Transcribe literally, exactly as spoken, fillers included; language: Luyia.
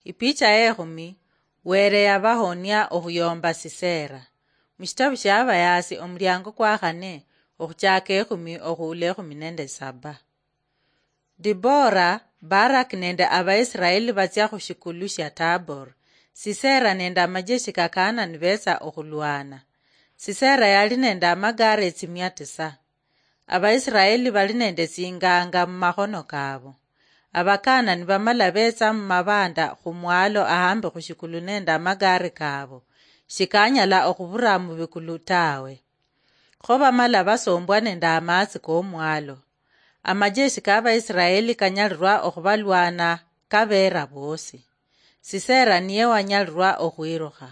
Ipicha ekhumi. Were yabahonia okhuyomba Sisera. Mushitabu shia Abayaasi, omuliango kwa khane, okhuchaka ekhumi okhuula ekhumi nende saba. Dibora, Barak nende Abaisiraeli batsia khushikulu shia Tabor. Sisera nende amajeshi ka Kaanani betsa okhulwana. Sisera yali nende amagare etsimia tisa. Abaisiraeli bali nende tsinganga mumakhono kabo. Abakaanani bamala betsa mumabanda khumwalo ahambi khushikulu nende amagare kabo, shikanyala okhubura mubikulu tawe. Kho bamala basombwa nende amaatsi komwalo. Amajeshi ka Abaisiraeli kanyalirwa okhubalwana kabera bosi. Sisera niye wanyalirwa okhwirukha.